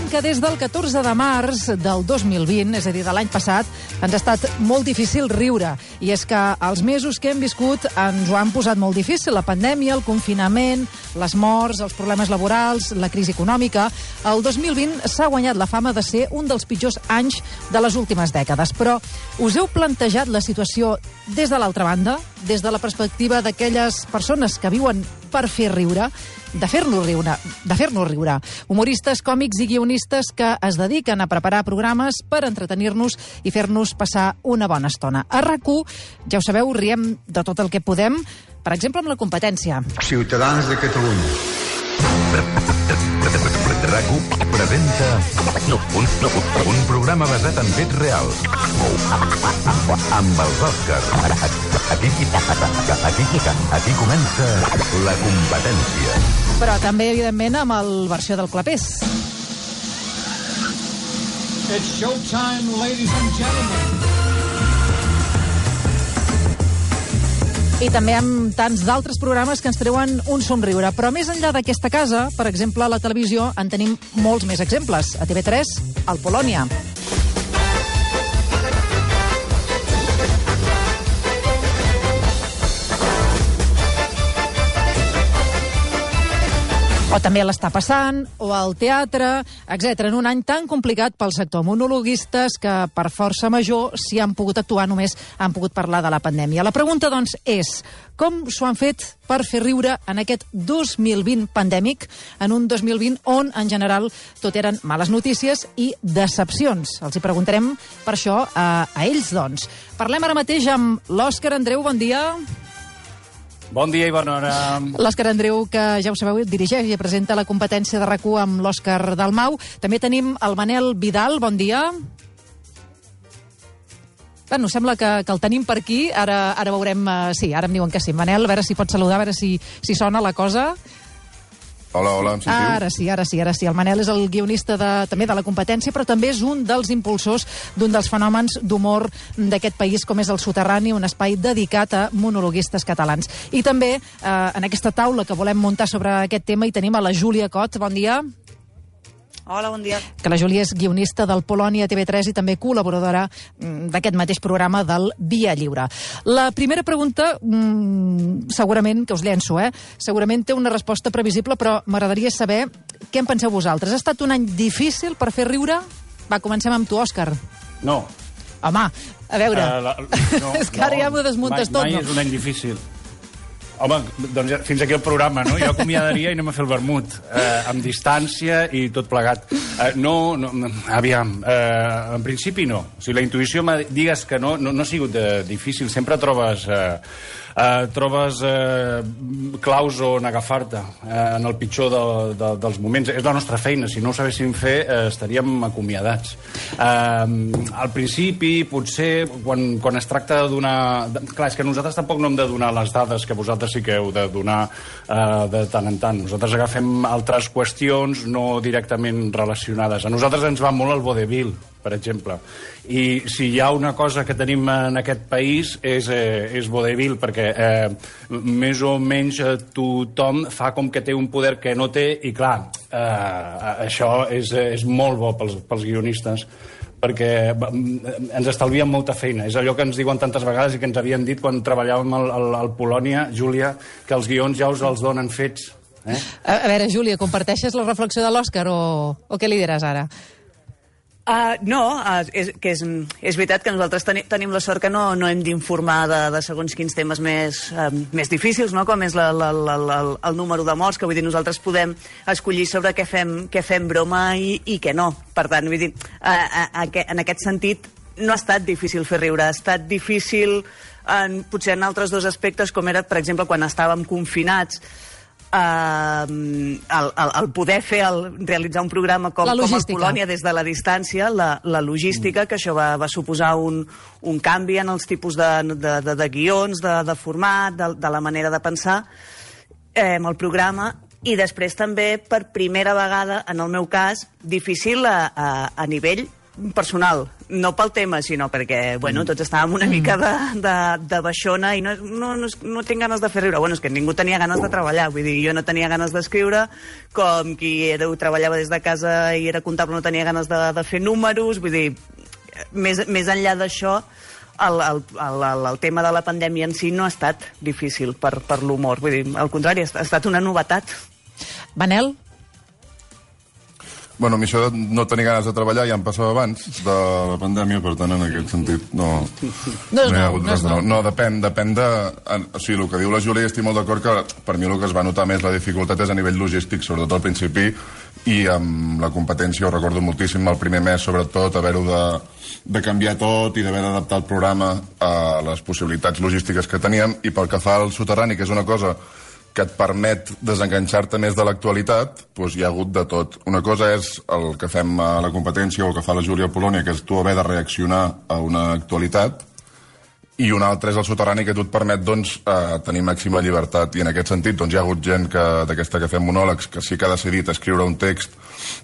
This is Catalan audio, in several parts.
sabem que des del 14 de març del 2020, és a dir, de l'any passat, ens ha estat molt difícil riure. I és que els mesos que hem viscut ens ho han posat molt difícil. La pandèmia, el confinament, les morts, els problemes laborals, la crisi econòmica. El 2020 s'ha guanyat la fama de ser un dels pitjors anys de les últimes dècades. Però us heu plantejat la situació des de l'altra banda, des de la perspectiva d'aquelles persones que viuen per fer riure, de fer-nos riure. Humoristes, còmics i guionistes que es dediquen a preparar programes per entretenir-nos i fer-nos passar una bona estona. A RAC1, ja ho sabeu, riem de tot el que podem, per exemple amb la competència. Ciutadans de Catalunya. RAC1 presenta un programa basat en fets reals. Amb els Òscars. Aquí comença la competència. Però també, evidentment, amb el versió del clapés. It's showtime, ladies and gentlemen. I també amb tants d'altres programes que ens treuen un somriure. Però més enllà d'aquesta casa, per exemple, a la televisió, en tenim molts més exemples. A TV3, al Polònia. O també l'està passant, o al teatre, etc. En un any tan complicat pel sector. Monologuistes que, per força major, si han pogut actuar, només han pogut parlar de la pandèmia. La pregunta, doncs, és com s'ho han fet per fer riure en aquest 2020 pandèmic, en un 2020 on, en general, tot eren males notícies i decepcions. Els hi preguntarem per això a ells, doncs. Parlem ara mateix amb l'Òscar Andreu. Bon dia. Bon dia i bona hora. L'Òscar Andreu, que ja ho sabeu, dirigeix i presenta la competència de RAC1 amb l'Òscar Dalmau. També tenim el Manel Vidal. Bon dia. Bueno, sembla que el tenim per aquí. Ara veurem... sí, ara em diuen que sí. Manel, a veure si pot saludar, a veure si sona la cosa. Hola, em sentiu? Ara sí. El Manel és el guionista també de la competència, però també és un dels impulsors d'un dels fenòmens d'humor d'aquest país, com és el Soterrani, un espai dedicat a monologuistes catalans. I també en aquesta taula que volem muntar sobre aquest tema hi tenim a la Júlia Cot. Bon dia. Hola, bon dia. Que la Júlia és guionista del Polònia TV3 i també col·laboradora d'aquest mateix programa del Via Lliure. La primera pregunta, segurament, que us llenço, segurament té una resposta previsible, però m'agradaria saber què en penseu vosaltres. Ha estat un any difícil per fer riure? Va, comencem amb tu, Òscar. No. Home, a veure, és que ara ja m'ho desmuntes tot. Mai és un any difícil. Home, doncs fins aquí el programa, no? Jo acomiadaria i anem a fer el vermut, amb distància i tot plegat. Aviam, en principi no. Si la intuïció digues que no ha sigut difícil, sempre trobes claus on agafar-te en el pitjor dels moments. És la nostra feina. Si no ho sabéssim fer, estaríem acomiadats. Al principi, potser, quan es tracta de donar... Clar, és que nosaltres tampoc no hem de donar les dades que vosaltres sí que heu de donar de tant en tant. Nosaltres agafem altres qüestions no directament relacionades. A nosaltres ens va molt el vodevil, per exemple. I si hi ha una cosa que tenim en aquest país és vodevil, perquè més o menys tothom fa com que té un poder que no té, i clar, això és molt bo pels guionistes, perquè ens estalvien molta feina. És allò que ens diuen tantes vegades i que ens havien dit quan treballàvem al Polònia, Júlia, que els guions ja us els donen fets. A veure, Júlia, comparteixes la reflexió de l'Òscar o què li diràs ara? No, és veritat que nosaltres tenim la sort que no hem d'informar de segons quins temes més difícils, no? Com és el número de morts, que vull dir, nosaltres podem escollir sobre què fem broma i què no. Per tant, vull dir, en aquest sentit, no ha estat difícil fer riure, ha estat difícil potser en altres dos aspectes, com era, per exemple, quan estàvem confinats, el poder realitzar un programa com el Polònia des de la distància, la logística, que això va suposar un canvi en els tipus de guions, de format, de la manera de pensar amb el programa, i després també, per primera vegada, en el meu cas, difícil a nivell personal, no pel tema, sinó perquè, bueno, tots estàvem una mica de baixona i no tinc ganes de fer riure. Bueno, és que ningú tenia ganes de treballar, vull dir, jo no tenia ganes d'escriure, com qui treballava des de casa i era comptable no tenia ganes de fer números, vull dir, més enllà d'això, el tema de la pandèmia en si no ha estat difícil per l'humor, vull dir, al contrari, ha estat una novetat. Manel? Bueno, a mi això de no tenir ganes de treballar ja em passava abans de la pandèmia, per tant, en aquest sentit, no hi ha hagut res de nou. No, depèn de... O sigui, el que diu la Júlia, estic molt d'acord que per mi el que es va notar més la dificultat és a nivell logístic, sobretot al principi, i amb la competència ho recordo moltíssim el primer mes, sobretot, haver-ho de canviar tot i d'haver d'adaptar el programa a les possibilitats logístiques que teníem, i pel que fa al soterrani, que és una cosa que et permet desenganxar-te més de l'actualitat, doncs hi ha hagut de tot. Una cosa és el que fem a la competència o el que fa la Júlia Polònia, que és tu haver de reaccionar a una actualitat, i una altra és el soterrani, que tu et permet tenir màxima llibertat. I en aquest sentit hi ha hagut gent d'aquesta que fem monòlegs que sí que ha decidit escriure un text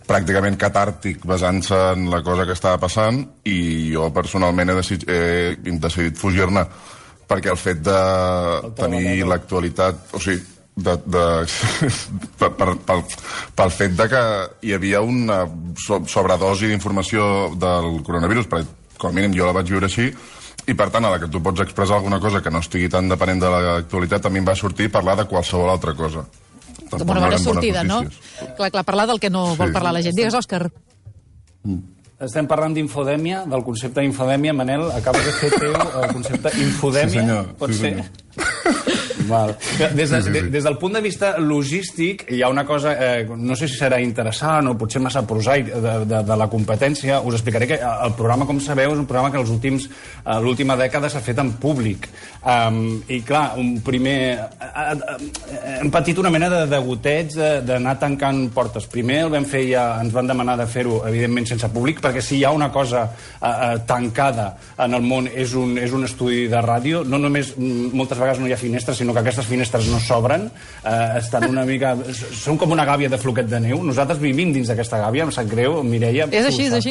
pràcticament catàrtic basant-se en la cosa que estava passant, i jo personalment he decidit fugir-ne, perquè el fet de tenir l'actualitat, o sigui, pel fet de que hi havia una sobredosi d'informació del coronavirus, perquè com a mínim jo la vaig viure així, i per tant a la que tu pots expressar alguna cosa que no estigui tan depenent de l'actualitat, a mi em va sortir parlar de qualsevol altra cosa. Com una bona sortida, no? Clar, parlar del que no vol parlar la gent. Digues, Òscar. Estem parlant d'infodèmia, del concepte d'infodèmia. Manel, acabes de fer teu el concepte infodèmia. Sí, senyor. Pot ser? Val. Des del punt de vista logístic, hi ha una cosa, no sé si serà interessant o potser massa prosaic de la competència. Us explicaré que el programa, com sabeu, és un programa que l'última dècada s'ha fet en públic. I clar, hem patit una mena de degoteig d'anar tancant portes. Primer el vam fer i ens van demanar de fer-ho, evidentment, sense públic, perquè si hi ha una cosa tancada en el món és un estudi de ràdio. No només moltes vegades no hi ha finestres, sinó que aquestes finestres no s'obren, estan una mica... Són com una gàbia de floquet de neu. Nosaltres vivim dins d'aquesta gàbia, em sap greu, Mireia. És així, sí.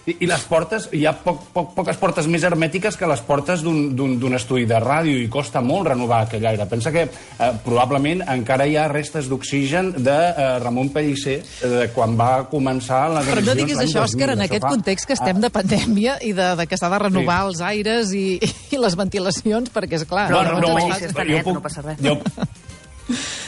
I les portes, hi ha poques portes més hermètiques que les portes d'un estudi de ràdio, i costa molt renovar aquell aire. Pensa que probablement encara hi ha restes d'oxigen de Ramon Pellicer quan va començar les emissions. Però no diguis això, Òscar, en aquest context que estem de pandèmia i que s'ha de renovar els aires i les ventilacions, perquè és clar... No passa res.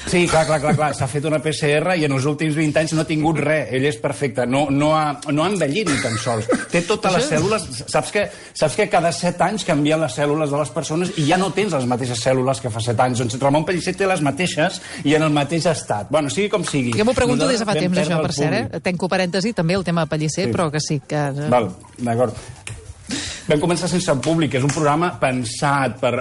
Sí, clar. S'ha fet una PCR i en els últims 20 anys no ha tingut res. Ell és perfecte. No ha envellit ni tan sols. Té totes les cèl·lules... Saps que cada 7 anys canvien les cèl·lules de les persones i ja no tens les mateixes cèl·lules que fa 7 anys. Doncs Ramon Pellicer té les mateixes i en el mateix estat. Bueno, sigui com sigui. Jo m'ho pregunto des de fa temps, això, per cert. Tenco parèntesi, també, el tema Pellicer, però que sí. Val, d'acord. Vam començar sense públic, és un programa pensat per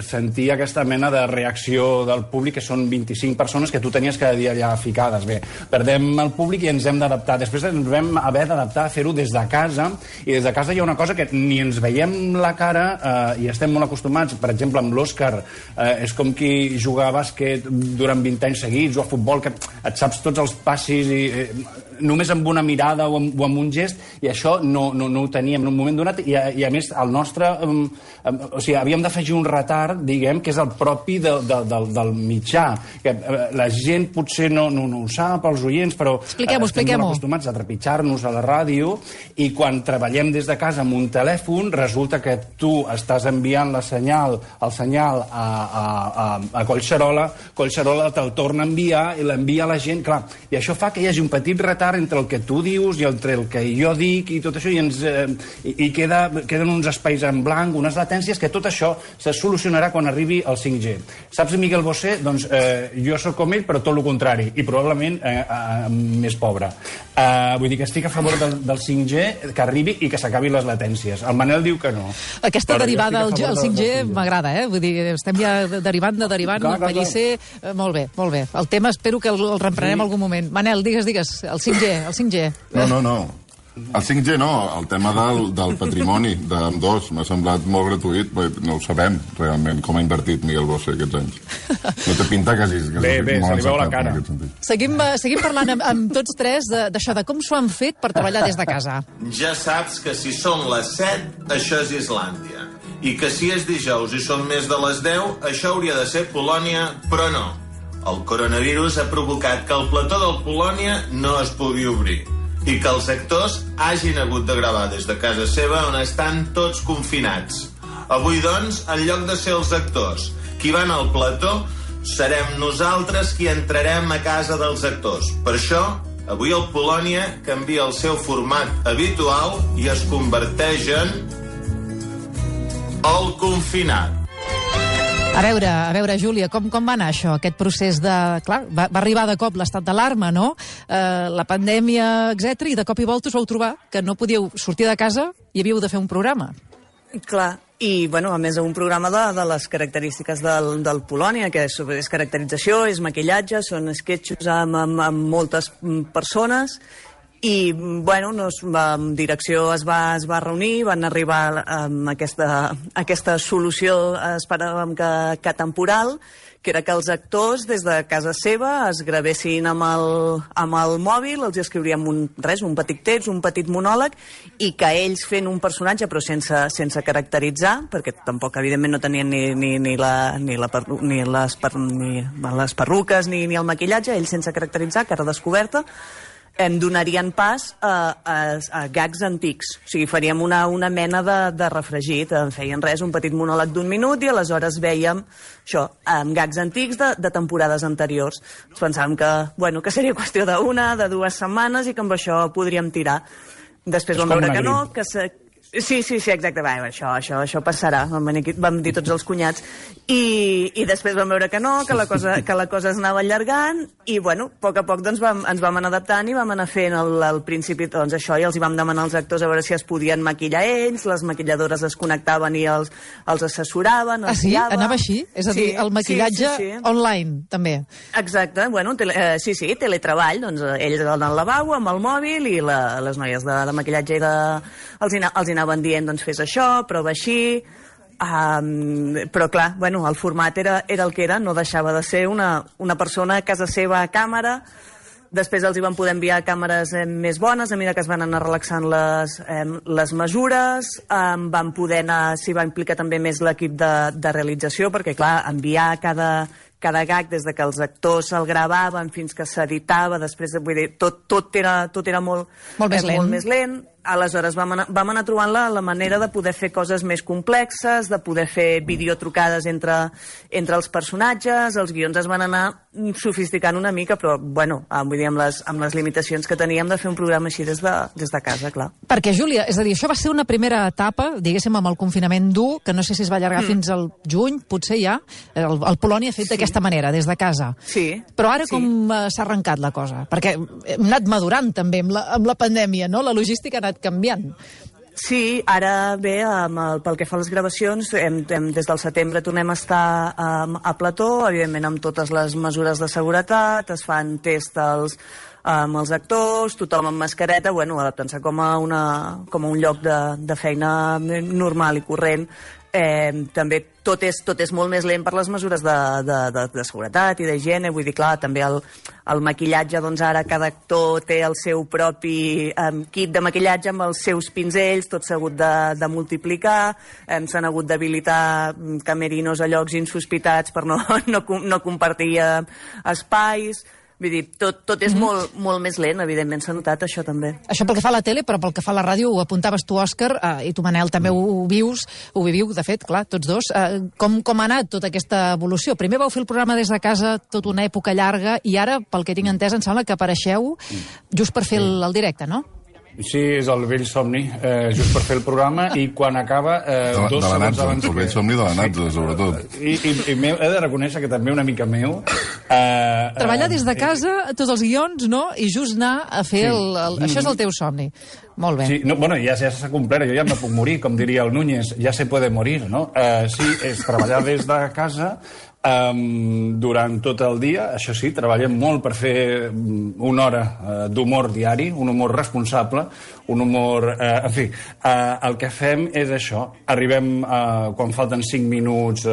sentir aquesta mena de reacció del públic, que són 25 persones que tu tenies cada dia allà ficades. Bé, perdem el públic i ens hem d'adaptar. Després ens vam haver d'adaptar a fer-ho des de casa, i des de casa hi ha una cosa que ni ens veiem la cara i estem molt acostumats. Per exemple, amb l'Òscar, és com qui juga a bàsquet durant 20 anys seguits, o a futbol, que et saps tots els passis i només amb una mirada o amb un gest, i això no ho teníem en un moment donat, i a més el nostre... O sigui, havíem d'afegir un retard, diguem, que és el propi del mitjà. Que la gent potser no ho sap, els oients, però estem molt acostumats a trepitjar-nos a la ràdio, i quan treballem des de casa amb un telèfon, resulta que tu estàs enviant el senyal a Collserola te'l torna a enviar i l'envia a la gent, clar, i això fa que hi hagi un petit retard entre el que tu dius i entre el que jo dic i tot això, i queden uns espais en blanc, unes latències, que tot això se solucionarà quan arribi el 5G. Saps Miguel Bosé? Doncs jo sóc com ell, però tot el contrari, i probablement més pobre. Vull dir que estic a favor del 5G, que arribi i que s'acabi les latències. El Manel diu que no. Aquesta derivada al 5G m'agrada, Vull dir, estem ja derivant, Pellicer, molt bé. El tema espero que el reemprenem algun moment. Manel, digues, el 5G. No. El 5G no, el tema del patrimoni d'ambdós m'ha semblat molt gratuït, no ho sabem realment com ha invertit Miguel Bosé aquests anys. No té pinta que hagi bé, se li veu la cara. Seguim parlant amb tots tres d'això, de com s'ho han fet per treballar des de casa. Ja saps que si són les 7, això és Islàndia. I que si és dijous i són més de les 10, això hauria de ser Polònia, però no. El coronavirus ha provocat que el plató del Polònia no es pugui obrir i que els actors hagin hagut de gravar des de casa seva on estan tots confinats. Avui, doncs, en lloc de ser els actors qui van al plató, serem nosaltres qui entrarem a casa dels actors. Per això, avui el Polònia canvia el seu format habitual i es converteix en el confinat. A veure, Júlia, com va anar això, aquest procés de... Clar, va arribar de cop l'estat d'alarma, no? La pandèmia, etc. I de cop i volta us vau trobar que no podíeu sortir de casa i havíeu de fer un programa. Clar, i bueno, a més un programa de les característiques del Polònia, que és caracterització, és maquillatge, són sketchos amb moltes persones. I, bueno, la direcció es va reunir, van arribar amb aquesta solució, esperàvem que temporal, que era que els actors, des de casa seva, es gravessin amb el mòbil, els escriuríem un petit text, un petit monòleg, i que ells fent un personatge, però sense caracteritzar, perquè tampoc, evidentment, no tenien ni les perruques ni el maquillatge, ells sense caracteritzar, cara descoberta, em donarien pas a gags antics. O sigui, faríem una mena de refregit. En feien un petit monòleg d'1 minut i aleshores vèiem això, amb gags antics de temporades anteriors. Ens pensàvem que seria qüestió de 2 setmanes i que amb això podríem tirar. Després vam veure que no, que Sí, exacte. Això passarà, vam dir tots els cunyats. I després vam veure que no, que la cosa es anava allargant, i, bueno, a poc ens vam anar adaptant i vam anar fent al principi, doncs, això, i els hi vam demanar als actors a veure si es podien maquillar ells, les maquilladores es connectaven i els assessoraven, els guiaven. Anava així? És a dir, el maquillatge online, també? Exacte, bueno, teletreball, doncs, ells al lavabo, amb el mòbil, i les noies de maquillatge els anaven dient, doncs fes això, prova així, però clar, bueno, el format era el que era, no deixava de ser una persona a casa seva a càmera. Després els hi van poder enviar càmeres més bones, a mesura que es van anar relaxant les mesures, van poder anar, s'hi va implicar també més l'equip de realització, perquè clar, enviar cada gag des de que els actors el gravaven fins que s'editava, després, vull dir, tot era molt més lent. Aleshores vam anar trobant la manera de poder fer coses més complexes, de poder fer videotrucades entre els personatges, els guions es van anar sofisticant una mica, però, bueno, vull dir, amb les limitacions que teníem de fer un programa així des de casa, clar. Perquè, Júlia, és a dir, això va ser una primera etapa, diguéssim, amb el confinament dur, que no sé si es va allargar fins al juny, potser ja, el Polònia ha fet d'aquesta manera, des de casa. Sí. Però ara com s'ha arrencat la cosa? Perquè hem anat madurant també amb la pandèmia, no? La logística ha anat canviant. Sí, ara bé, pel que fa a les gravacions, des del setembre tornem a estar a plató, evidentment amb totes les mesures de seguretat, es fan tests amb els actors, tothom amb mascareta, bueno, adaptant-se com a un lloc de feina normal i corrent. També tot és molt més lent per les mesures de seguretat i d'higiene, vull dir, clar, també el maquillatge, doncs ara cada actor té el seu propi kit de maquillatge amb els seus pinzells, tot s'ha hagut de multiplicar, s'han hagut d'habilitar camerinos a llocs insospitats per no compartir espais. Vull dir, tot és molt més lent, evidentment s'ha notat això també. Això pel que fa a la tele, però pel que fa a la ràdio ho apuntaves tu, Òscar, i tu, Manel, també ho viviu, de fet, clar, tots dos. Com ha anat tota aquesta evolució? Primer vau fer el programa des de casa tota una època llarga i ara, pel que tinc entès, em sembla que apareixeu just per fer el directe, no? Sí, és el vell somni, just per fer el programa, i quan acaba... de la Natza, el vell somni de la Natza, sobretot. I he de reconèixer que també una mica meu... Treballar des de casa, tots els guions, no? I just anar a fer Això és el teu somni. Molt bé. Sí, no, bueno, ja s'ha complert, jo ja me puc morir, com diria el Núñez, ja se puede morir, no? Sí, és treballar des de casa, durant tot el dia. Això sí, treballem molt per fer una hora d'humor diari, un humor responsable, un humor... en fi, el que fem és això. Arribem quan falten 5 minuts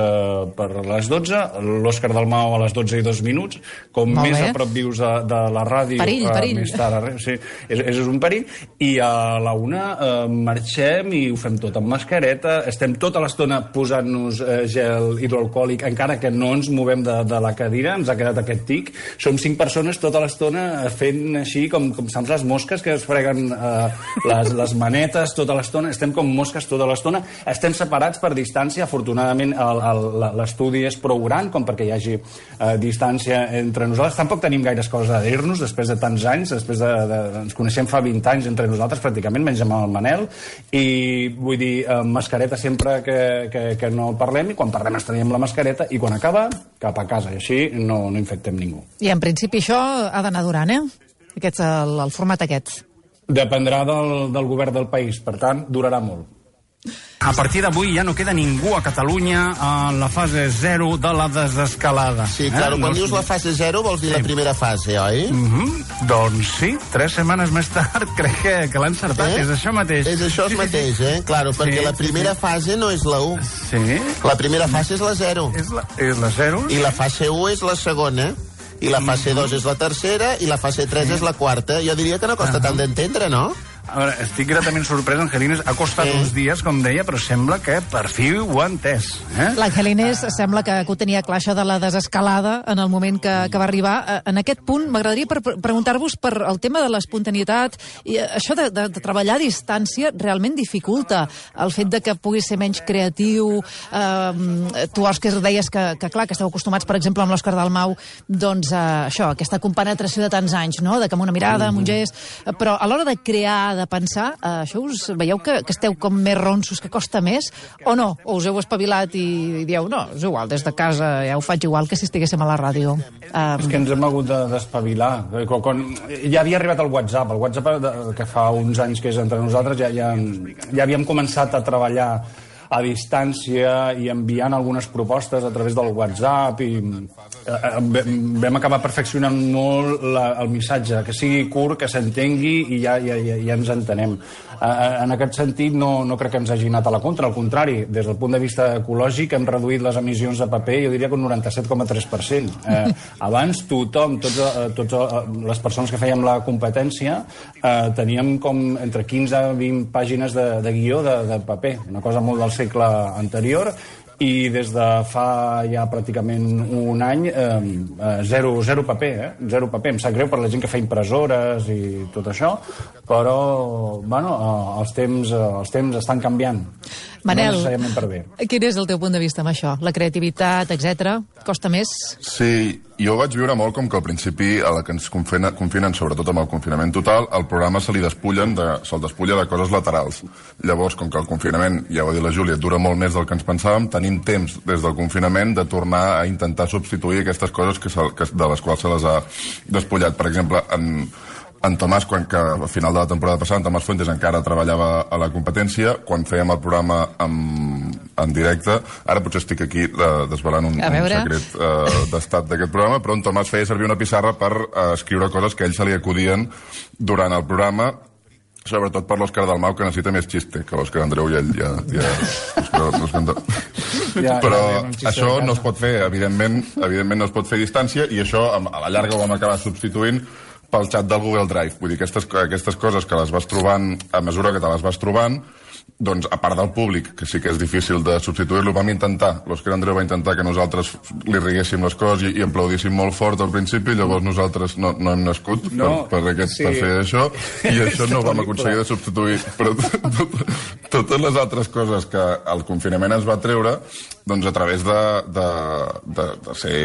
per les 12, l'Òscar Dalmau a les 12 i 2 minuts. Com més a prop vius de la ràdio... Perill. Més tard, sí, és un perill. I a la 1 marxem i ho fem tot amb mascareta. Estem tota l'estona posant-nos gel hidroalcohòlic, encara que no ens movem de la cadira, ens ha quedat aquest tic. Som 5 persones tota l'estona fent així com saps les mosques que es freguen les manetes tota l'estona. Estem com mosques tota l'estona. Estem separats per distància. Afortunadament l'estudi és prou gran com perquè hi hagi distància entre nosaltres. Tampoc tenim gaires coses a dir-nos després de tants anys. Ens coneixem fa 20 anys entre nosaltres pràcticament, menys amb el Manel. I vull dir, mascareta sempre que no parlem, i quan parlem estrenyem la mascareta, i quan acaba, cap a casa, i així no infectem ningú. I en principi això ha d'anar durant, el format aquest. Dependrà del govern del país, per tant, durarà molt. A partir d'avui ja no queda ningú a Catalunya en la fase 0 de la desescalada. Sí, claro, quan dius la fase 0 vols dir la primera fase, oi? Doncs sí, 3 setmanes més tard crec que l'ha encertat, és això mateix. És això mateix, Claro, perquè la primera fase no és la 1. Sí. La primera fase és la 0. És la 0. I la fase 1 és la segona. I la fase 2 és la tercera, i la fase 3 és la quarta. Jo diria que no costa tant d'entendre, no? A veure, estic gratament sorprès, Angelines. Ha costat uns dies, com deia, però sembla que per fi ho ha entès. L'Angelines sembla que ho tenia clar, això de la desescalada, en el moment que va arribar. En aquest punt, m'agradaria preguntar-vos per el tema de l'espontaneïtat. I això de treballar a distància realment dificulta el fet de que pugui ser menys creatiu. Tu, Òscar, deies que clar, que esteu acostumats, per exemple, amb l'Òscar Dalmau, doncs això, aquesta compenetració de tants anys, no?, de que amb una mirada, amb un gest... Però a l'hora de crear, de pensar, això us veieu que esteu com més ronsos, que costa més, o no? O us heu espavilat i dieu, no, és igual, des de casa ja ho faig igual que si estiguéssim a la ràdio. És que ens hem hagut d'espavilar. Ja havia arribat el WhatsApp que fa uns anys que és entre nosaltres, ja havíem començat a treballar a distància i enviant algunes propostes a través del WhatsApp, i vam acabar perfeccionant molt el missatge, que sigui curt, que s'entengui i ja ens entenem. En aquest sentit no crec que ens hagi anat a la contra, al contrari, des del punt de vista ecològic hem reduït les emissions de paper, jo diria que un 97,3%. Abans tothom, totes les persones que fèiem la competència, teníem com entre 15 i 20 pàgines de guió de paper, una cosa molt del segle anterior, i des de fa ja pràcticament un any zero paper, zero paper. Em sap greu per la gent que fa impressores i tot això, però bueno, els temps estan canviant. Manel, no necessàriament per bé. Quin és el teu punt de vista amb això? La creativitat, etc. Costa més? Sí, jo ho vaig viure molt com que al principi, a la que ens confinen, sobretot amb el confinament total, el programa se'l despulla de coses laterals. Llavors, com que el confinament, ja ho ha dit la Júlia, dura molt més del que ens pensàvem, tenim temps des del confinament de tornar a intentar substituir aquestes coses de les quals se les ha despullat. Per exemple, en Tomàs, que al final de la temporada passada, en Tomàs Fuentes encara treballava a la competència, quan fèiem el programa en directe, ara potser estic aquí desvelant un secret d'estat d'aquest programa, però en Tomàs feia servir una pissarra per escriure coses que a ell se li acudien durant el programa, sobretot per l'Òscar Dalmau, que necessita més xiste, que l'Òscar Andreu ja però això no es pot fer, evidentment no es pot fer a distància, i això a la llarga ho vam acabar substituint pel xat del Google Drive. Vull dir, aquestes coses que les vas trobant a mesura que te les vas trobant, doncs, a part del públic, que sí que és difícil de substituir-lo, vam intentar, l'Òscar Andreu va intentar que nosaltres li riguéssim les coses i aplaudíssim molt fort al principi, llavors nosaltres no hem nascut per fer això, i això no ho vam aconseguir de substituir. Però totes les altres coses que el confinament ens va treure, doncs a través de ser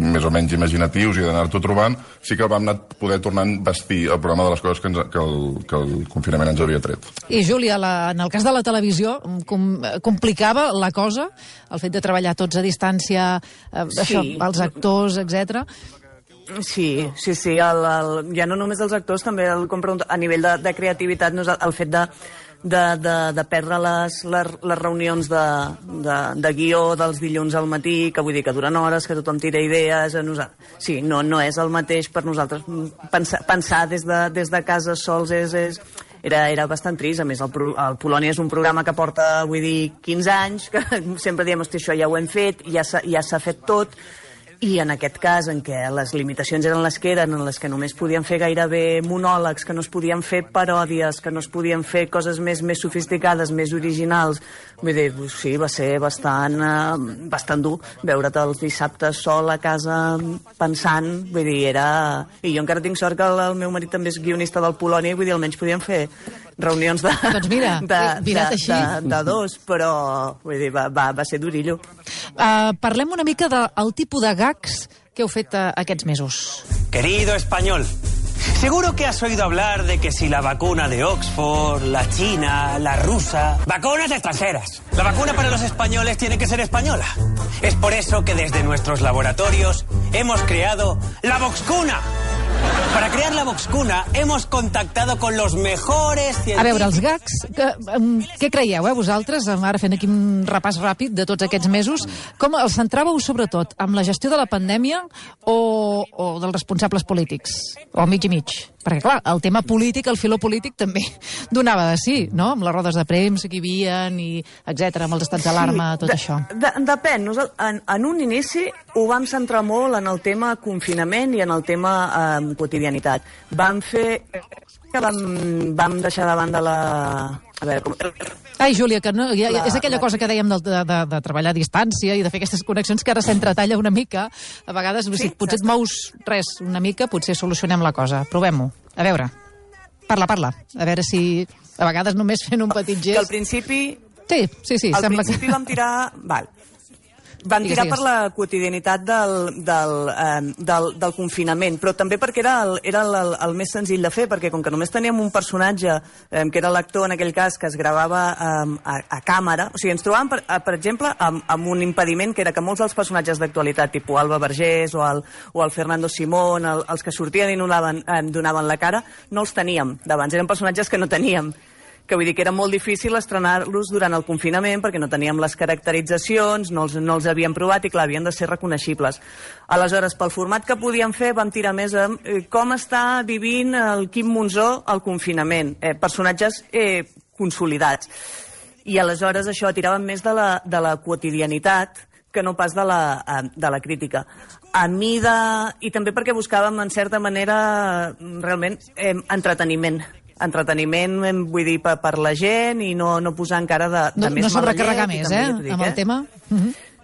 més o menys imaginatius i d'anar-t'ho trobant, sí que vam poder tornar a vestir el programa de les coses que el confinament ens havia tret. I Júlia, en el cas de la televisió, complicava la cosa, el fet de treballar tots a distància, això, els actors, etc. Sí, ja no només els actors, també a nivell de creativitat, el fet de perdre les reunions de guió dels dilluns al matí, que vull dir que duren hores, que tothom tira idees. Sí, no és el mateix per nosaltres. Pensar des de casa sols era bastant trist. A més, el Polònia és un programa que porta, 15 anys, que sempre diem, hosti, això ja ho hem fet, ja s'ha fet tot. I en aquest cas, en què les limitacions eren les que eren, en les que només podien fer gairebé monòlegs, que no es podien fer paròdies, que no es podien fer coses més sofisticades, més originals, vull dir, sí, va ser bastant dur veure't els dissabtes sol a casa pensant, vull dir, era... I jo encara tinc sort que el meu marit també és guionista del Polònia, vull dir, almenys podíem fer reunions doncs mira, de dos, però vull dir, va ser durillo. Parlem una mica del tipus de gags que heu fet aquests mesos. Querido español, seguro que has oído hablar de que si la vacuna de Oxford, la china, la rusa... ¡Vacunas extranjeras! La vacuna para los españoles tiene que ser española. Es por eso que desde nuestros laboratorios hemos creado la Voxcuna. Para crear la Voxcuna hemos contactado con los mejores científicos... A veure, els gags, què creieu, vosaltres, ara fent aquí un repàs ràpid de tots aquests mesos, com els centràveu sobretot amb la gestió de la pandèmia o dels responsables polítics? O mig i mig? Perquè, clar, el tema polític, el filó polític també donava de sí, no? Amb les rodes de premsa que hi havia, etcètera, amb els estats d'alarma, tot això. Depèn. En un inici ho vam centrar molt en el tema confinament i en el tema quotidianitat. Vam deixar de banda la... A veure, com... Ai, Júlia, que no, és aquella cosa que dèiem de treballar a distància i de fer aquestes connexions que ara s'entretalla una mica. A vegades, si potser et mous res una mica, potser solucionem la cosa. Provem-ho. A veure, parla. A veure si a vegades només fent un petit gest... Que al principi... Sí, al principi vam tirar... Van tirar per la quotidianitat del confinament, però també perquè era el més senzill de fer, perquè com que només teníem un personatge, que era l'actor en aquell cas, que es gravava a càmera, o sigui, ens trobàvem, per exemple, amb un impediment que era que molts dels personatges d'actualitat, tipus Alba Vergés o el Fernando Simón, els que sortien i donaven la cara, no els teníem d'abans, eren personatges que no teníem, que vull dir que era molt difícil estrenar-los durant el confinament perquè no teníem les caracteritzacions, no els havíem provat i, clar, havien de ser reconeixibles. Aleshores, pel format que podíem fer, vam tirar més amb com està vivint el Quim Monzó al confinament. Personatges consolidats. I aleshores això tiràvem més de la quotidianitat que no pas de la crítica. I també perquè buscàvem, en certa manera, realment, entreteniment, vull dir, per la gent i no posar encara de més mala llet. No sobrecarregar més, amb el tema.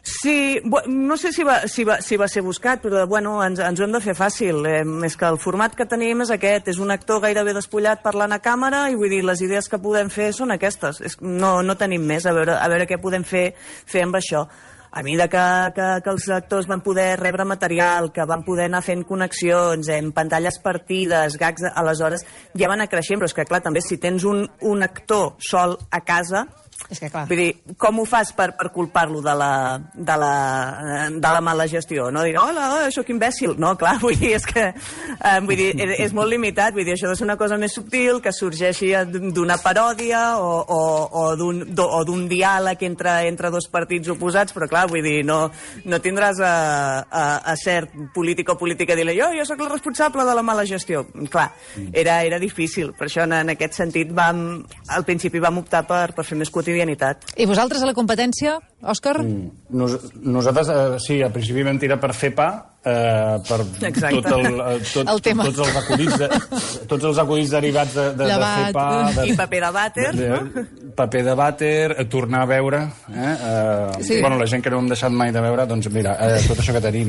Sí, no sé si va ser buscat, però bueno, ens ho hem de fer fàcil. És que el format que tenim és aquest, és un actor gairebé despullat parlant a càmera i vull dir, les idees que podem fer són aquestes. No tenim més, a veure què podem fer amb això. A mesura que els actors van poder rebre material, que van poder anar fent connexions, pantalles partides, gags, aleshores ja van anar creixent, però és que clar, també si tens un actor sol a casa, és que clar, vull dir, com ho fas per culpar-lo de la mala gestió? No dir, hola, sóc imbècil. No, clar, vull dir, és que és molt limitat, vull dir, això ha de ser una cosa més subtil, que sorgeixi d'una paròdia o d'un diàleg entre dos partits oposats, però clar, vull dir, no tindràs a cert polític o política a dir-li, jo sóc el responsable de la mala gestió. Clar, era difícil, per això en aquest sentit al principi vam optar per fer més quotidianitat. I vosaltres a la competència, Òscar? Nosaltres, sí, al principi vam tirar per fer pa, per tots els acudits derivats de fer pa... I paper de vàter, no? Paper de vàter, tornar a veure, bueno, la gent que no hem deixat mai de veure, doncs mira, tot això que tenim.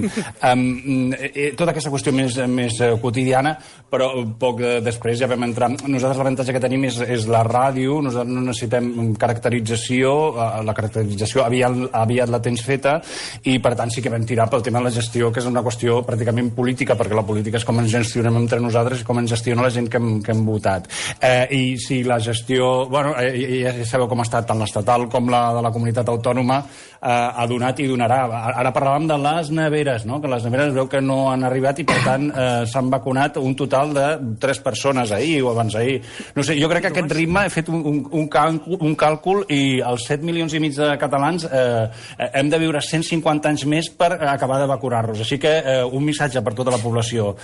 Tota aquesta qüestió més quotidiana, però poc després ja vam entrar... Nosaltres l'avantatge que tenim és la ràdio, nosaltres no necessitem caracterització, la caracterització aviat la tens feta, i per tant sí que vam tirar pel tema de la gestió, que és una qüestió pràcticament política, perquè la política és com ens gestionem entre nosaltres i com ens gestiona la gent que hem votat. I si la gestió... Bueno, ja sabeu com ha estat tant l'estatal com la de la comunitat autònoma, ha donat i donarà. Ara parlàvem de les neveres, no? Que les neveres veu que no han arribat i, per tant, s'han vacunat un total de 3 persones ahir o abans ahir. No sé, jo crec que aquest ritme, he fet un càlcul i els 7 milions i mig de catalans hem de viure 150 anys més per acabar de vacunar-nos. Així que un missatge per tota la població.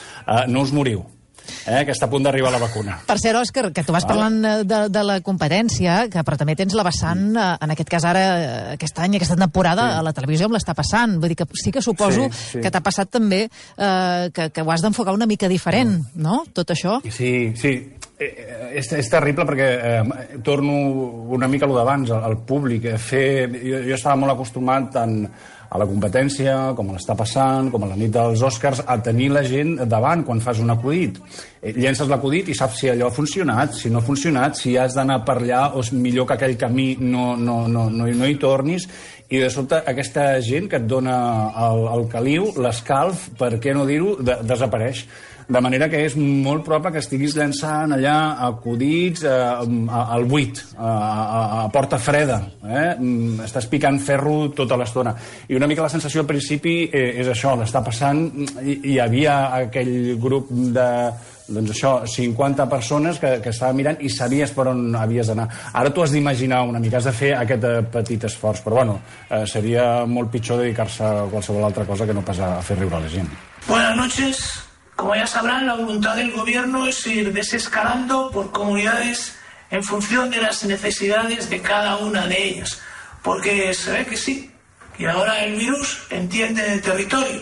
No us moriu, que està a punt d'arribar la vacuna. Per cert, Òscar, que tu vas parlant de la competència, però també tens la vessant, en aquest cas ara, aquest any, aquesta temporada, a la televisió amb l'està passant. Vull dir que sí que suposo que t'ha passat també que ho has d'enfocar una mica diferent, no?, tot això. Sí. És terrible perquè torno una mica a lo d'abans, al públic. Jo estava molt acostumat tant a la competència, com a l'està passant, com a la nit dels Oscars, a tenir la gent davant quan fas un acudit. Llences l'acudit i saps si allò ha funcionat, si no ha funcionat, si has d'anar per allà o és millor que aquell camí no hi tornis. I de sobte aquesta gent que et dona el caliu, l'escalf, per què no dir-ho, desapareix. De manera que és molt probable que estiguis llançant allà acudits al buit, a porta freda. Estàs picant ferro tota l'estona. I una mica la sensació al principi és això, l'està passant. Hi havia aquell grup de 50 persones que estava mirant i sabies per on havies d'anar. Ara tu has d'imaginar una mica, has de fer aquest petit esforç, però bueno, seria molt pitjor dedicar-se a qualsevol altra cosa que no pas a fer riure a la gent. Buenas noches. Como ya sabrán, la voluntad del gobierno es ir desescalando por comunidades en función de las necesidades de cada una de ellas. Porque se ve que sí, que ahora el virus entiende de territorios.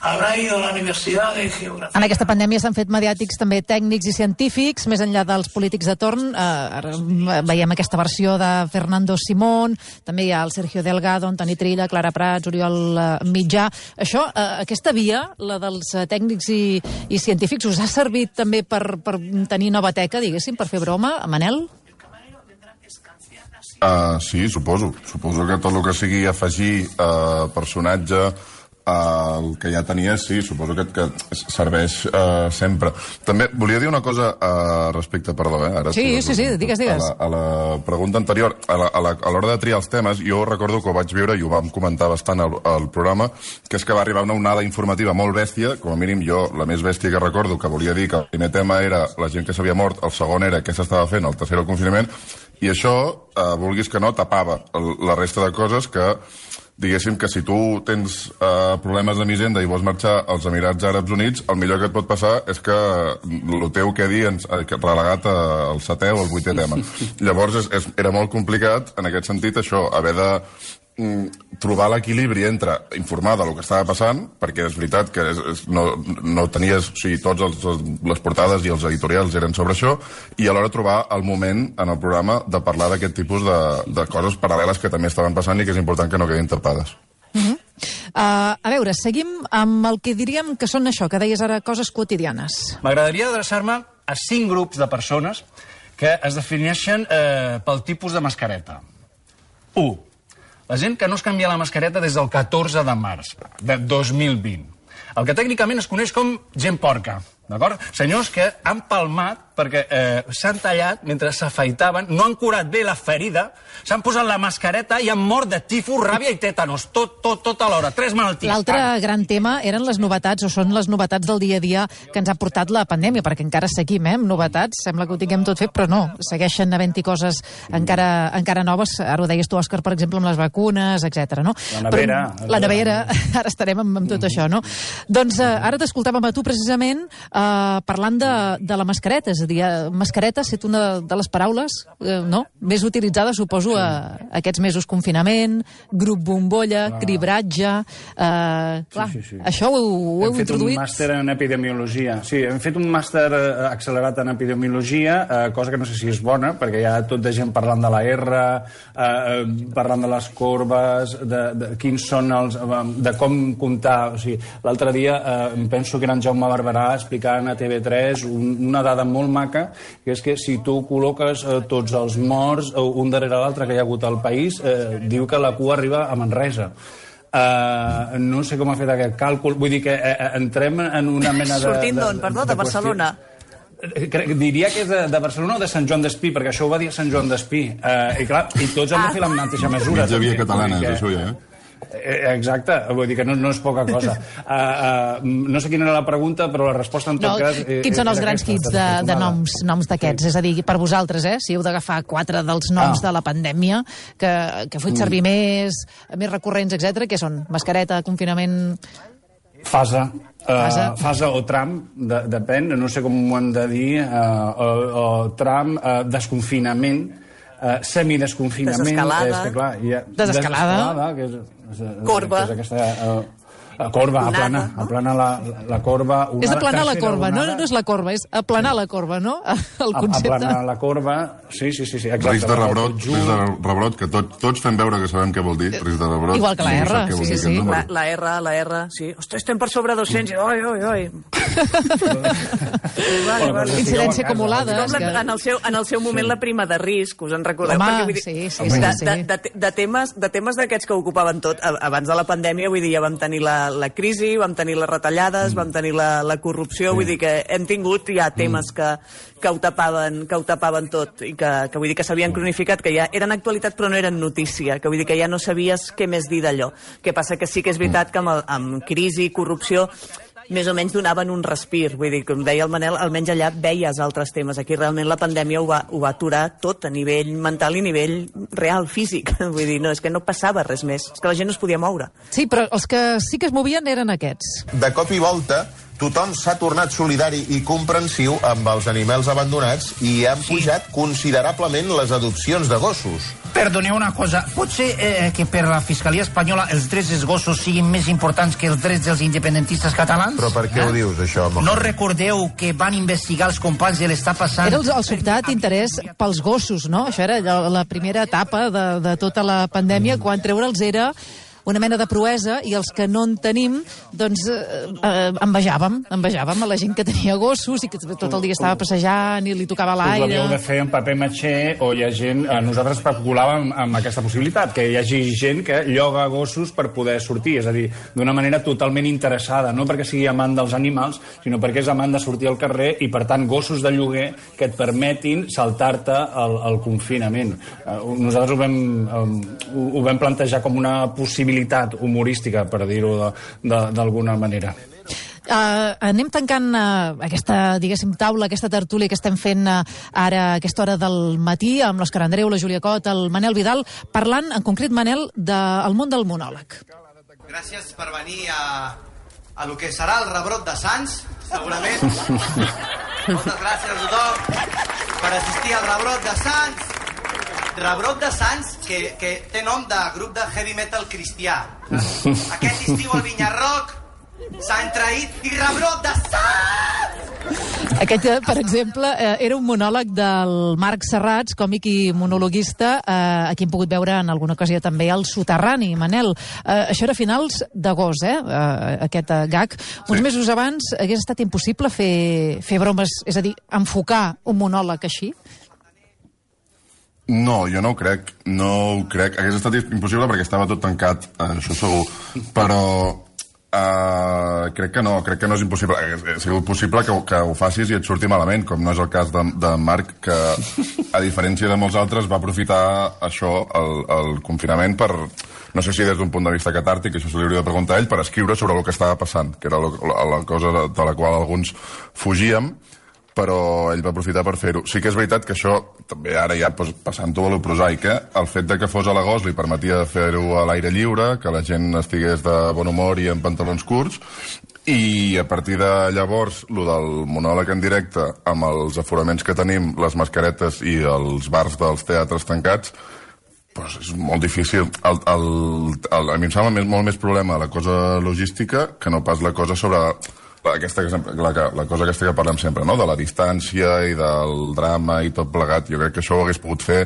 Habrá ido a la Universitat de Geografia. En aquesta pandèmia s'han fet mediàtics també tècnics i científics, més enllà dels polítics de torn. Veiem aquesta versió de Fernando Simón, també hi ha el Sergio Delgado, Antoni Trilla, Clara Prats, Oriol Mitjà. Això, aquesta via, la dels tècnics i científics, us ha servit també per tenir nova teca, diguéssim, per fer broma, Manel? Sí, suposo. Suposo que tot el que sigui afegir personatge el que ja tenia, sí, suposo que serveix sempre. També volia dir una cosa respecte, perdó, ara sí, digues. A la pregunta anterior, a l'hora de triar els temes, jo recordo que ho vaig viure i ho vam comentar bastant al programa, que és que va arribar una onada informativa molt bèstia, com a mínim jo, la més bèstia que recordo, que volia dir que el primer tema era la gent que s'havia mort, el segon era què s'estava fent, el tercer el confinament, i això, vulguis que no, tapava la resta de coses que diguéssim que si tu tens problemes de misenda i vols marxar als Emirats Àrabs Units, el millor que et pot passar és que el teu quedi relegat al 7è o al 8è tema. Llavors era molt complicat, en aquest sentit, això, haver de trobar l'equilibri entre informar del que estava passant, perquè és veritat que no tenies, o sigui, tots les portades i els editorials eren sobre això, i alhora trobar el moment en el programa de parlar d'aquest tipus de coses paral·leles que també estaven passant i que és important que no quedin tapades. A veure, seguim amb el que diríem que són això, que deies ara, coses quotidianes. M'agradaria adreçar-me a 5 grups de persones que es defineixen pel tipus de mascareta. 1. La gent que no es canvia la mascareta des del 14 de març de 2020. El que tècnicament es coneix com gent porca, d'acord? Senyors que han palmat perquè s'han tallat mentre s'afaitaven, no han curat bé la ferida, s'han posat la mascareta i han mort de tifus, ràbia i tètanos, tot alhora, 3 malalties. L'altre gran tema eren les novetats, o són les novetats del dia a dia que ens ha portat la pandèmia, perquè encara seguim, amb novetats, sembla que ho tinguem tot fet, però no, segueixen havent-hi coses encara noves, ara ho deies tu, Òscar, per exemple, amb les vacunes, etc. No? La nevera, ara estarem amb tot això, no? Doncs ara t'escoltàvem a tu precisament parlant de la mascareta, és a dir, mascareta ha estat una de les paraules més utilitzades, suposo, aquests mesos confinament, grup bombolla, cribratge... Això ho heu introduït? Hem fet un màster en epidemiologia. Sí, hem fet un màster accelerat en epidemiologia, cosa que no sé si és bona, perquè hi ha tot de gent parlant de la R, parlant de les corbes, de quins són els... de com comptar. O sigui, l'altre dia em penso que era en Jaume Barberà explicant a TV3 una dada molt maca, que és que si tu col·loques tots els morts un darrere l'altre que hi ha hagut al país, diu que la cua arriba a Manresa. no sé com ha fet aquest càlcul. Vull dir que entrem en una mena de... Sortint d'on, perdó, de Barcelona? Diria que és de Barcelona o de Sant Joan d'Espí, perquè això ho va dir Sant Joan d'Espí. I clar, i tots han de fer la mateixa mesura. Mitja via catalana, és això ja, Exacte, vull dir que no és poca cosa. No sé quina era la pregunta, però la resposta en tot cas... Quins són els grans hits de noms d'aquests? És a dir, per vosaltres, si heu d'agafar 4 dels noms de la pandèmia que heu fet servir més recurrents, etc. Què són? Mascareta, confinament... Fase o tram, depèn, no sé com ho hem de dir, o tram, desconfinament, semidesconfinament... Desescalada. Desescalada. Corba. Corba, aplana la corba. És aplanar la corba, no és la corba, és aplanar la corba, no? El concepte. Aplanar la corba, sí, exacte. Risc de rebrot, que tots fem veure que sabem què vol dir, risc de rebrot. Igual que la R, sí. La R, sí. Ostres, estem per sobre 200, oi. Incidència acumulada. En el seu moment la prima de risc, us en recordeu? Home, sí. De temes d'aquests que ocupaven tot, abans de la pandèmia, vull dir, ja vam tenir la crisi, vam tenir les retallades, vam tenir la corrupció, vull dir que hem tingut ja temes que ho tapaven tot i que vull dir que s'havien cronificat, que ja eren actualitat però no eren notícia, que vull dir que ja no sabies què més dir d'allò. Que passa que sí que és veritat que amb crisi, corrupció, més o menys donaven un respir. Vull dir, com deia el Manel, almenys allà veies altres temes. Aquí realment la pandèmia ho va aturar tot, a nivell mental i a nivell real, físic. Vull dir, és que no passava res més. És que la gent no es podia moure. Sí, però els que sí que es movien eren aquests. De cop i volta, tothom s'ha tornat solidari i comprensiu amb els animals abandonats i han pujat considerablement les adopcions de gossos. Perdoneu una cosa, pot ser que per la Fiscalia Espanyola els drets dels gossos siguin més importants que els drets dels independentistes catalans? Però per què ho dius, això? No recordeu que van investigar els companys de l'Està passant? Era el sobtat interès pels gossos, no? Això era la primera etapa de tota la pandèmia, quan treure'ls era una mena de proesa, i els que no en tenim, doncs envejàvem a la gent que tenia gossos i que tot el dia estava passejant i li tocava l'aire. Us l'havíeu de fer en paper matxer, o hi ha gent... Nosaltres especulàvem amb aquesta possibilitat, que hi hagi gent que lloga gossos per poder sortir, és a dir, d'una manera totalment interessada, no perquè sigui amant dels animals, sinó perquè és amant de sortir al carrer i, per tant, gossos de lloguer que et permetin saltar-te el confinament. Nosaltres ho vam plantejar com una possibilitat humorística, per dir-ho d'alguna manera. Anem tancant aquesta, diguéssim, taula, aquesta tertúlia que estem fent ara a aquesta hora del matí amb l'Òscar Andreu, la Júlia Cot, el Manel Vidal, parlant, en concret, Manel, del món del monòleg. Gràcies per venir a lo que serà el rebrot de Sants, segurament. Moltes gràcies a tothom per assistir al rebrot de Sants. Rebrot de Sants, que té nom de grup de heavy metal cristià. Aquest estiu al Vinyarroc s'ha traït i rebrot de Sants! Aquest, per exemple, era un monòleg del Marc Serrats, còmic i monologuista, a qui hem pogut veure en alguna ocasió també al Soterrani, Manel. Això era a finals d'agost, aquest gag. Uns mesos abans hagués estat impossible fer bromes, és a dir, enfocar un monòleg així? No, jo no ho crec. Hagués estat impossible perquè estava tot tancat, això segur. Però crec que no és impossible. Ha sigut possible que ho facis i et surti malament, com no és el cas de Marc, que, a diferència de molts altres, va aprofitar això, el confinament, per, no sé si des d'un punt de vista catàrtic, això se li hauria de preguntar a ell, per escriure sobre el que estava passant, que era la cosa de la qual alguns fugíem, però ell va aprofitar per fer-ho. Sí que és veritat que això, també ara ja passant-ho a lo prosaic, el fet de que fos a l'agost li permetia fer-ho a l'aire lliure, que la gent estigués de bon humor i en pantalons curts, i a partir de llavors, lo del monòleg en directe, amb els aforaments que tenim, les mascaretes i els bars dels teatres tancats, doncs és molt difícil. A mi em sembla molt més problema la cosa logística que no pas la cosa sobre... la cosa aquesta que parlem sempre, no? De la distància i del drama i tot plegat. Jo crec que això ho hagués pogut fer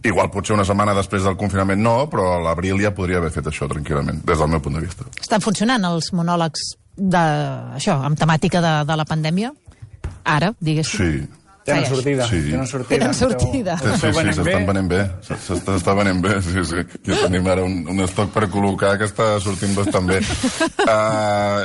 igual potser una setmana després del confinament no, però a l'abril ja podria haver fet això tranquil·lament, des del meu punt de vista. Estan funcionant els monòlegs amb temàtica de la pandèmia? Ara, diguéssim. Sí. Tenen sortida. Tenen sortida. S'estan venent bé. S'està venent bé, sí. Ja tenim ara un estoc per col·locar que està sortint bastant bé.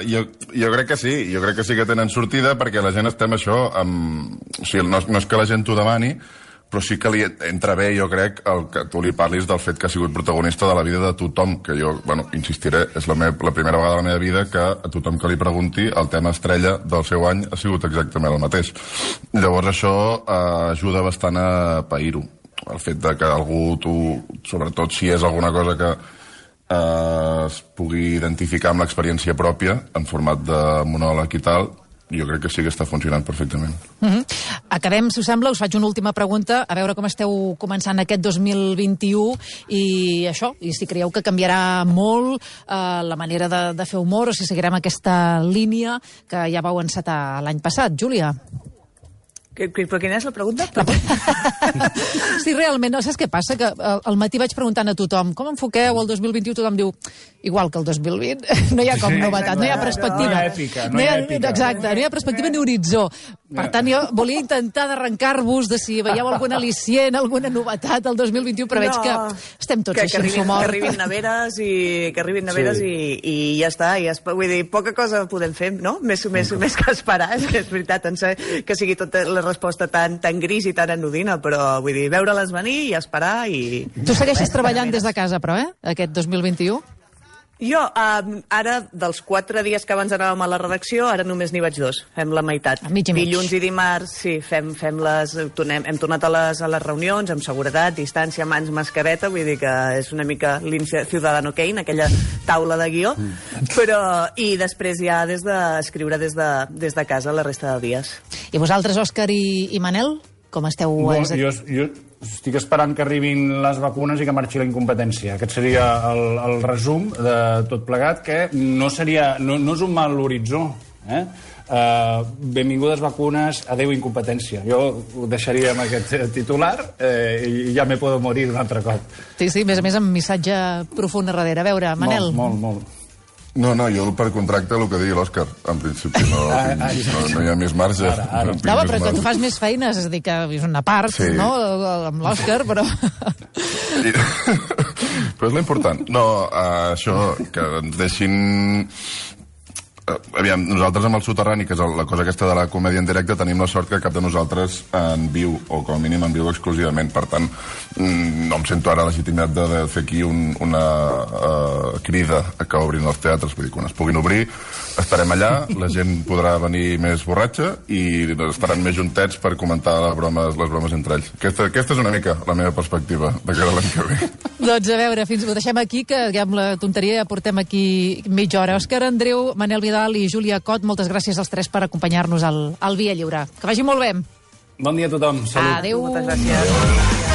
Jo crec que sí que tenen sortida, perquè la gent estem això amb... O sigui, no és que la gent t'ho demani, però sí que li entra bé, jo crec, que tu li parlis del fet que ha sigut protagonista de la vida de tothom, que jo, insistiré, és la primera vegada de la meva vida que a tothom que li pregunti el tema estrella del seu any ha sigut exactament el mateix. Llavors això ajuda bastant a pair-ho. El fet de que algú, sobretot si és alguna cosa que es pugui identificar amb l'experiència pròpia, en format de monòleg i tal, jo crec que sí que està funcionant perfectament. Acabem, si us sembla, us faig una última pregunta, a veure com esteu començant aquest 2021 i això, i si creieu que canviarà molt la manera de fer humor o si seguirem aquesta línia que ja vau encetar l'any passat. Júlia? Però quina és la pregunta? Sí, realment, no saps què passa? Que al matí vaig preguntant a tothom com enfoqueu el 2021, tothom diu igual que el 2020, no hi ha com novetat, no hi ha perspectiva. No hi ha èpica, no hi ha èpica. Exacte, no hi ha perspectiva ni horitzó. Per tant, jo volia intentar d'arrencar-vos de si veieu algun al·licient, alguna novetat al 2021, però veig que estem tots així amb humor. Que arribin neveres i ja està. Vull dir, poca cosa podem fer, no? Més que esperar, és veritat, que sigui tota la resposta tan gris i tan anodina, però vull dir, veure-les venir i esperar i... Tu segueixes treballant des de casa, però, aquest 2021? Jo, ara, dels 4 dies que abans anàvem a la redacció, ara només n'hi vaig 2, fem la meitat. Mig i mig. Dilluns i dimarts, sí, hem tornat a les reunions, amb seguretat, distància, mans, mascareta, vull dir que és una mica l'inici Ciudadano Kane, aquella taula de guió, però, i després ja escriure des de casa la resta de dies. I vosaltres, Òscar i Manel, com esteu? Jo estic esperant que arribin les vacunes i que marxi la incompetència. Aquest seria el resum de tot plegat, que no és un mal horitzó. Benvingudes vacunes, adeu incompetència. Jo ho deixaria amb aquest titular i ja me puedo morir un altre cop. Sí, a més amb missatge profund a darrere. A veure, Manel. Molt. No, jo per contracte el que digui l'Òscar. En principi no hi ha més marge. No, però que tu fas més feines, és a dir, que és una part, no?, amb l'Òscar, però... Però és l'important. No, això, que ens deixin... Aviam, nosaltres amb el Soterrani, que és la cosa aquesta de la comèdia en directe, tenim la sort que cap de nosaltres en viu, o com a mínim en viu exclusivament. Per tant, no em sento ara legitimitat de fer aquí una crida a que obrin els teatres. Vull dir, quan es puguin obrir, estarem allà, la gent podrà venir més borratxa i estaran més juntets per comentar les bromes entre ells. Aquesta és una mica la meva perspectiva de cara a l'any que ve. Doncs a veure, ho deixem aquí, que amb la tonteria ja portem aquí mitja hora. Òscar Andreu, Manel Vidal i Júlia Cot, moltes gràcies als 3 per acompanyar-nos al Via Lliure. Que vagi molt bé. Bon dia a tothom. Salut. Adéu. Moltes gràcies.